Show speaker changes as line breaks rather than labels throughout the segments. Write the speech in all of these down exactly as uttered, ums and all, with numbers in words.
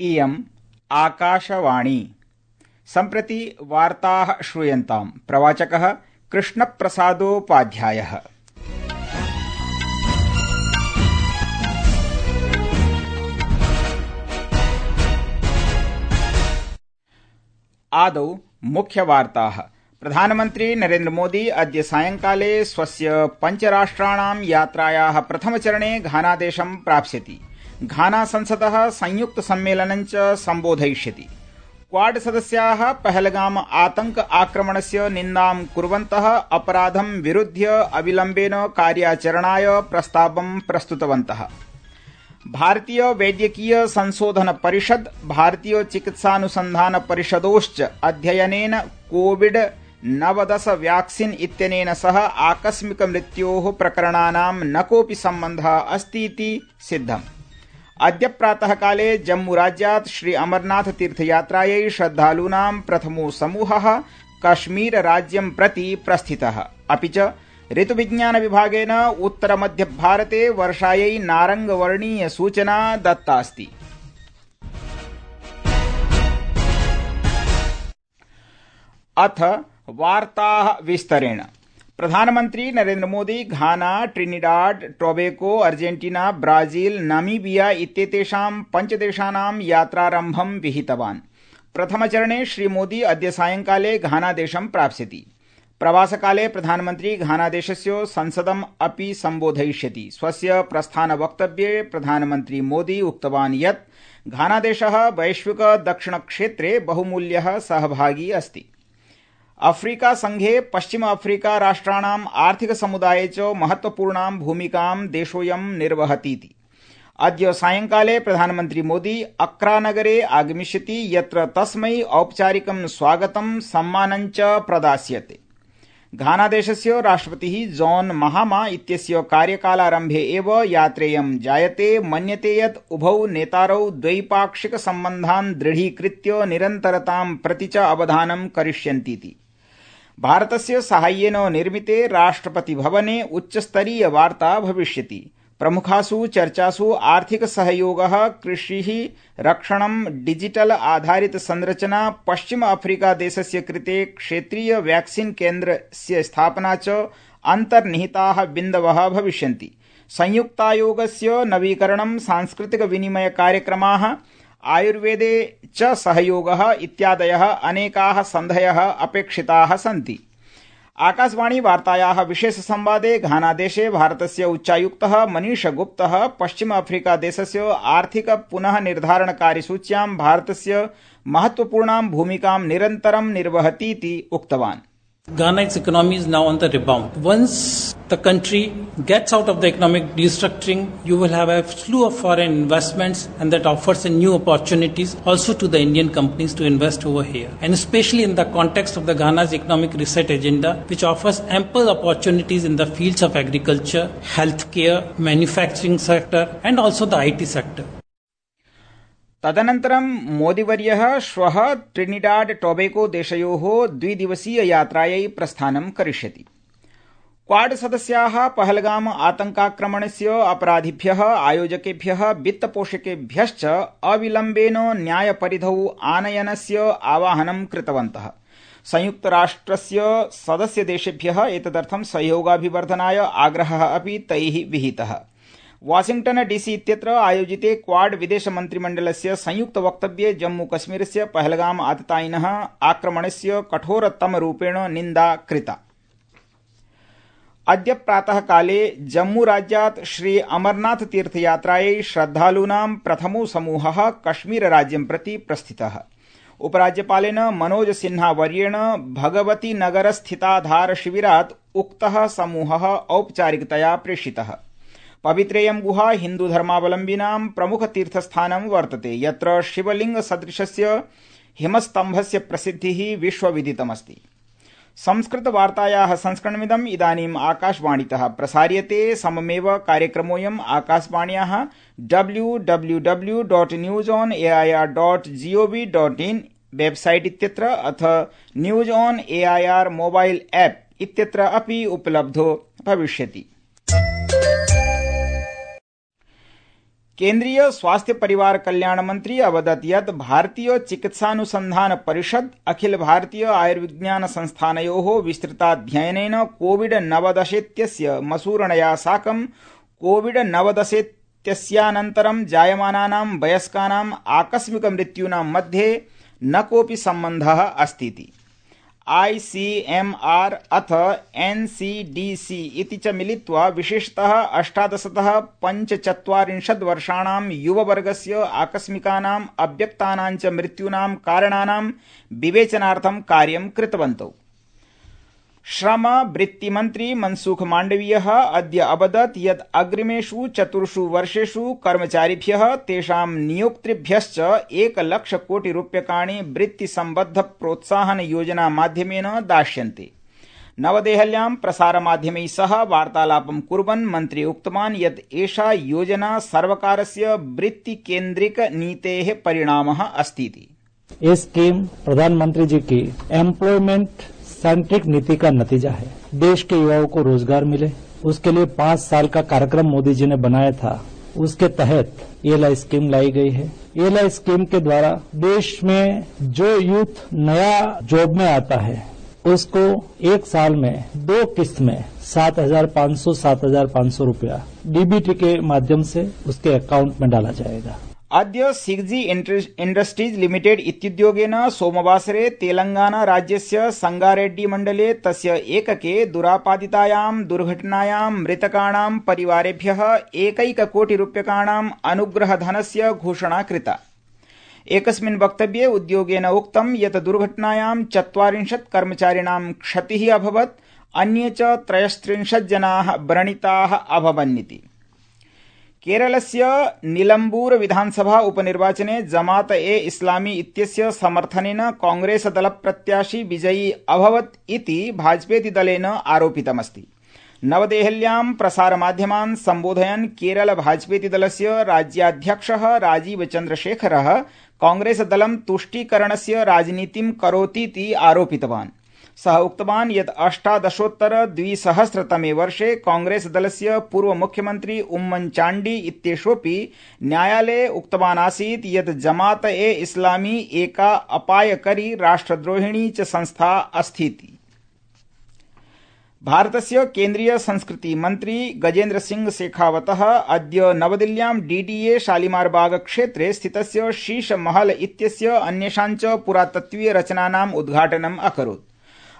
इयम् आकाशवाणी। सम्प्रति वार्ताः श्रूयन्ताम्। प्रवाचकः कृष्णप्रसादोपाध्यायः। आदौ मुख्यवार्ताः। प्रधानमन्त्री नरेन्द्र मोदी अद्य सायंकाले स्वस्य पञ्चराष्ट्राणां यात्रायाः प्रथमचरणे घानादेशं प्राप्स्यति। घाना संसदः संयुक्त सम्मेलनं च सम्बोधयिष्यति। क्वाड सदस्याः पहलगाम आतंक आक्रमणस्य निन्दां कुर्वन्तः अपराधं विरुध्य अविलम्बेन कार्याचरणाय प्रस्तावं प्रस्तुतवन्तः। भारतीय वैद्यकीय संशोधन परिषद, भारतीय चिकित्सानुसंधान परिषदोश्च अध्ययनेन कोविड नवदश व्याक्सीन इत्यनेन सह आकस्मिक मृत्योः प्रकरणानां न कोऽपि सम्बन्धः अस्ति इति सिद्धम्। अद्य प्रातःकाले जम्मूराज्यात् श्री अमरनाथ तीर्थयात्रायै श्रद्धालूनां प्रथमो समूहः कश्मीरराज्यं प्रति प्रस्थितः। अपि च ऋतुविज्ञान विभागेन उत्तरमध्यभारते वर्षायै नारंगवर्णीय सूचना दत्तास्ति। अथ वार्ताः विस्तरेण। प्रधानमन्त्री Narendra Modi Ghana, Trinidad, Tobago, Argentina, Brazil, Namibia इत्येतेषां पञ्चदेशानां यात्रारम्भं विहितवान्। प्रथमचरणे श्रीमोदी अद्य सायंकाले घानादेशं प्राप्स्यति। प्रवासकाले प्रधानमन्त्री घानादेशस्य संसदम् अपि सम्बोधयिष्यति। स्वस्य प्रस्थानवक्तव्ये प्रधानमन्त्री मोदी उक्तवान् यत् घानादेशः वैश्विक दक्षिणक्षेत्रे बहुमूल्यः सहभागी अस्ति। अफ्रीका संघे पश्चिम अफ्रीका राष्ट्राणाम् आर्थिक समुदाये च महत्वपूर्णां भूमिकां देशोऽयं निर्वहतीति। अद्य सायंकाले प्रधानमन्त्री मोदी अक्रा नगरे आगमिष्यति, यत्र तस्मै औपचारिकं स्वागतं सम्मानं च प्रदास्यते। घानादेशस्य राष्ट्रपतिः जॉन महामा इत्यस्य कार्यकालारम्भे एव यात्रेयं जायते। मन्यते यत् उभौ नेतारौ द्वैपाक्षिक सम्बन्धान् दृढीकृत्य निरन्तरतां प्रति च अवधानं करिष्यन्तीति। भारतस्य साहाय्येन निर्मिते राष्ट्रपति भवने उच्चस्तरीय वार्ता भविष्यति। प्रमुखासु चर्चासु आर्थिक सहयोगः, कृषिः, रक्षणं, डिजिटल आधारित संरचना, पश्चिम अफ्रीका देशस्य कृते क्षेत्रीय वैक्सीन केन्द्रस्य स्थापना च अन्तर्निहिताः बिन्दवः भविष्यन्ति। संयुक्तायोगस्य नवीकरणं, सांस्कृतिक विनिमय कार्यक्रमाः, आयुर्वेदे च सहयोगः इत्यादयः अनेकाः सन्धयः अपेक्षिताः सन्ति। आकाशवाणी वार्तायाः विशेष संवादे घानादेशे भारतस्य उच्चायुक्तः मनीष गुप्तः पश्चिम अफ्रीका देशस्य आर्थिक पुनः निर्धारण कार्यसूच्यां भारतस्य महत्वपूर्णां भूमिकां निरन्तरं निर्वहतीति उक्तवान्।
Ghana's economy is now on the rebound. Once the country gets out of the economic restructuring, you will have a slew of foreign investments, and that offers a new opportunities also to the Indian companies to invest over here. And especially in the context of the Ghana's economic reset agenda, which offers ample opportunities in the fields of agriculture, healthcare, manufacturing sector, and also the I T sector.
तदनन्तरं मोदीवर्यः श्वः Trinidad tobacco देशयोः द्विदिवसीय यात्रायै प्रस्थानं करिष्यति। Quad सदस्याः पहलगाम आतंकाक्रमणस्य अपराधिभ्यः, आयोजकेभ्यः, वित्तपोषकेभ्यश्च अविलम्बेन न्यायपरिधौ आनयनस्य आवाहनं कृतवन्तः। संयुक्तराष्ट्रस्य सदस्यदेशेभ्यः एतदर्थं सहयोगाभिवर्धनाय आग्रहः अपि तैः विहितः। वाशिंगटन डीसी इत्यत्र आयोजिते क्वाड विदेश मन्त्रिमण्डलस्य संयुक्त वक्तव्ये जम्मू कश्मीरस्य पहलगाम आततायिनः आक्रमणस्य कठोरतमरूपेण निन्दा कृता। अद्य प्रातःकाले जम्मूराज्यात् श्री अमरनाथ तीर्थयात्रायै श्रद्धालूनां प्रथमो समूहः कश्मीरराज्यं प्रति प्रस्थितः। उपराज्यपालेन मनोज सिन्हा वर्येण भगवती नगरस्थिताधार शिविरात् उक्तः समूहः औपचारिकतया प्रेषितः। पवित्रेयं गुहा हिन्दुधर्मावलम्बिनां प्रमुखतीर्थस्थानं वर्तते, यत्र शिवलिंग सदृशस्य हिमस्तम्भस्य प्रसिद्धिः विश्वविदितमस्ति। संस्कृतवार्तायाः संस्करणमिदम् इदानीम् आकाशवाणीतः प्रसार्यते। सममेव कार्यक्रमोऽयम् आकाशवाण्याः W W W dot news on A I R dot G O V dot in website इत्यत्र अथ news on A I R mobile app इत्यत्र अपि उपलब्धो भविष्यति। केन्द्रीय स्वास्थ्य परिवार कल्याण मंत्री अवदत् यत् भारतीय चिकित्सानुसंधान परिषद अखिल भारतीय आयुर्विज्ञान संस्थानयोः विस्तृताध्ययनेन कोविड नवदशेत्यस्य मसूरणया साकं कोविड नवदशेत्यस्यानन्तरं जायमानानां वयस्कानां आकस्मिक मृत्यूनां मध्ये न कोऽपि सम्बन्धः अस्तीति। आईसीएमआर अथ एनसीडीसी इति च मिलित्वा विशेषतः अष्टादशतः पञ्चचत्वारिंशत् वर्षाणां युववर्गस्य आकस्मिकानाम् अव्यक्तानां च मृत्यूनां कारणानां विवेचनार्थं कार्यं कृतवन्तौ। श्रम वृत्तिमन्त्री मनसुख माण्डवीयः अद्य अवदत् यत् अग्रिमेषु चतुर्षु वर्षेषु कर्मचारिभ्यः तेषां नियोक्तृभ्यश्च एकलक्षकोटिरूप्यकाणि वृत्तिसम्बद्ध प्रोत्साहन योजना माध्यमेन दास्यन्ते। नवदेहल्यां प्रसारमाध्यमैः सह वार्तालापं कुर्वन् मन्त्री उक्तवान् यत् एषा योजना सर्वकारस्य वृत्तिकेन्द्रिक नीतेः परिणामः अस्तीति।
ये स्कीम प्रधानमंत्री जी की एम्प्लॉयमेंट सेंट्रिक नीति का नतीजा है। देश के युवाओं को रोजगार मिले, उसके लिए पांच साल का कार्यक्रम मोदी जी ने बनाया था। उसके तहत ईएलआई स्कीम लाई गई है। ईएलआई स्कीम के द्वारा देश में जो यूथ नया जॉब में आता है उसको एक साल में दो किस्त में सात हजार पाँच सौ सात हजार पाँच सौ रूपया डीबीटी के माध्यम से उसके अकाउंट में डाला जाएगा।
अद्य सिग्जी इंडस्ट्रीज लिमिटेड इत्युद्योगेन सोमवासरे तेलंगाना राज्यस्य संगारेड्डी मण्डले तस्य एकके दुरापादितायां दुर्घटनायां मृतकाणां परिवारेभ्यः एकैककोटिरूप्यकाणां अनुग्रहधनस्य घोषणा कृता। एकस्मिन् वक्तव्ये उद्योगेन उक्तं यत् दुर्घटनायां चत्वारिंशत् कर्मचारिणां क्षतिः अभवत्, अन्ये च त्रयस्त्रिंशत् जनाः व्रणिताः अभवन्निति। केरलस्य निलम्बूर विधानसभा उपनिर्वाचने जमात ए इस्लामी इत्यस्य समर्थनेन कांग्रेस दल प्रत्याशी विजयी अभवत् इति भाजपेति दलेन आरोपितमस्ति। नवदेहल्यां प्रसारमाध्यमान् सम्बोधयन् केरल भाजपेति दलस्य राज्याध्यक्षः राजीव चन्द्रशेखरः कांग्रेस दलं तुष्टीकरणस्य राजनीतिं करोतीति आरोपितवान्। सः उक्तवान् यत् अष्टादशोत्तर द्विसहस्रतमे वर्षे कांग्रेस दलस्य पूर्व मुख्यमन्त्री उम्मन चाण्डी इत्येषोऽपि न्यायालये उक्तवान् आसीत् यत् जमात ए इस्लामी एका अपायकरी राष्ट्रद्रोहिणी च संस्था अस्तीति। भारतस्य केन्द्रीय संस्कृति मन्त्री गजेन्द्र सिंह शेखावतः अद्य नवदिल्ल्यां डीडीए शालीमारबाग क्षेत्रे स्थितस्य शीश महल इत्यस्य अन्येषां च पुरातत्त्वीय रचनानाम् उद्घाटनम् अकरोत्।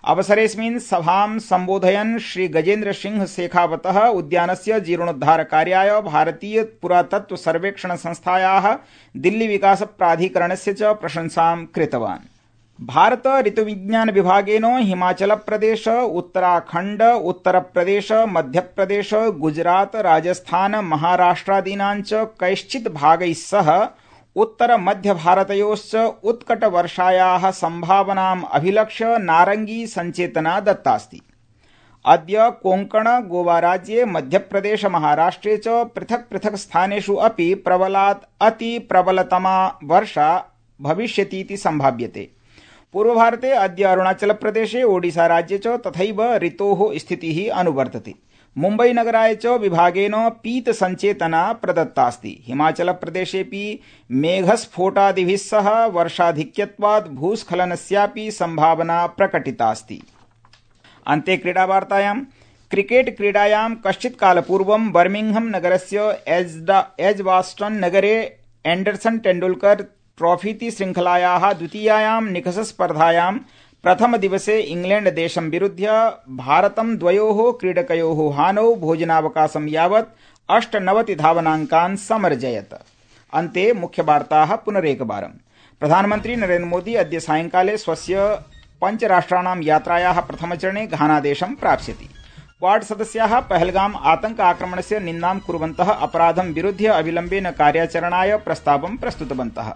अवसरेऽस्मिन् सभां सम्बोधयन् श्री गजेन्द्र सिंह शेखावतः उद्यानस्य जीर्णोद्धारकार्याय भारतीय पुरातत्व सर्वेक्षण संस्थायाः दिल्ली विकास प्राधिकरणस्य च प्रशंसां कृतवान्। भारत ऋतुविज्ञान विभागेन हिमाचल प्रदेश, उत्तराखण्ड, उत्तर प्रदेश, मध्य प्रदेश, गुजरात, राजस्थान, महाराष्ट्रादीनां च कैश्चित् भागैः सह उत्तर मध्य भारतयोश्च उत्कट वर्षायाः संभावनाम् अभिलक्ष्य नारंगी संचेतना दत्तास्ति। अद्य कोंकण गोवा राज्ये मध्यप्रदेश महाराष्ट्रे च पृथक् पृथक् स्थानेषु अपि प्रबलात् अति प्रबलतमा वर्षा भविष्यतीति संभाव्यते। पूर्वभारते अद्य अरुणाचल प्रदेशे ओडिशा राज्ये च तथैव ऋतोः स्थितिः अनुवर्तते। मुम्बई नगराय च विभागेन पीत संचेतना प्रदत्तास्ति। हिमाचल प्रदेशेऽपि मेघस्फोटादिभिः सह वर्षाधिक्यत्वात् भूस्खलनस्यापि संभावना प्रकटितास्ति। अन्ते क्रीडावार्तायां क्रिकेट क्रीडायां कश्चित् कालपूर्वं बर्मिंघम नगरस्य एजबास्टन नगरे एंडरसन तेंडुलकर ट्रॉफीति श्रृंखलायाः द्वितीयायां निकषस्पर्धायां प्रथम दिवसे इंग्लैंड देशं विरुध्य भारतं द्वयोः क्रीडकयोः हानौ भोजनावकाशं यावत् अष्टनवति धावनाङ्कान् समर्जयत्। अन्ते मुख्यवार्ताः पुनरेकवारं। प्रधानमन्त्री नरेन्द्र मोदी अद्य सायंकाले स्वस्य पञ्चराष्ट्राणां यात्रायाः प्रथमचरणे घानादेशं प्राप्स्यति। क्वाड सदस्याः पहलगाम आतंक आक्रमणस्य निन्दां कुर्वन्तः अपराधं विरुध्य अविलम्बेन कार्याचरणाय प्रस्तावं प्रस्तुतवन्तः।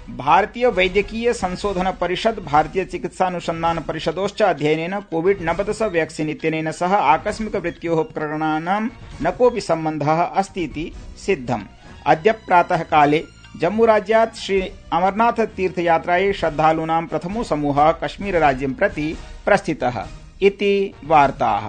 भारतीय वैद्यकीय संशोधन परिषद, भारतीय चिकित्सानुसंधान परिषदोश्च अध्ययनेन कोविड नवदश वैक्सीन इत्यनेन सह आकस्मिक मृत्योः प्रकरणानां न कोऽपि सम्बन्धः अस्ति इति सिद्धम्। अद्य प्रातः काले जम्मूराज्यात् श्री अमरनाथ तीर्थयात्रायै श्रद्धालूनां प्रथमो समूहः कश्मीरराज्यं प्रति प्रस्थितः इति वार्ताः।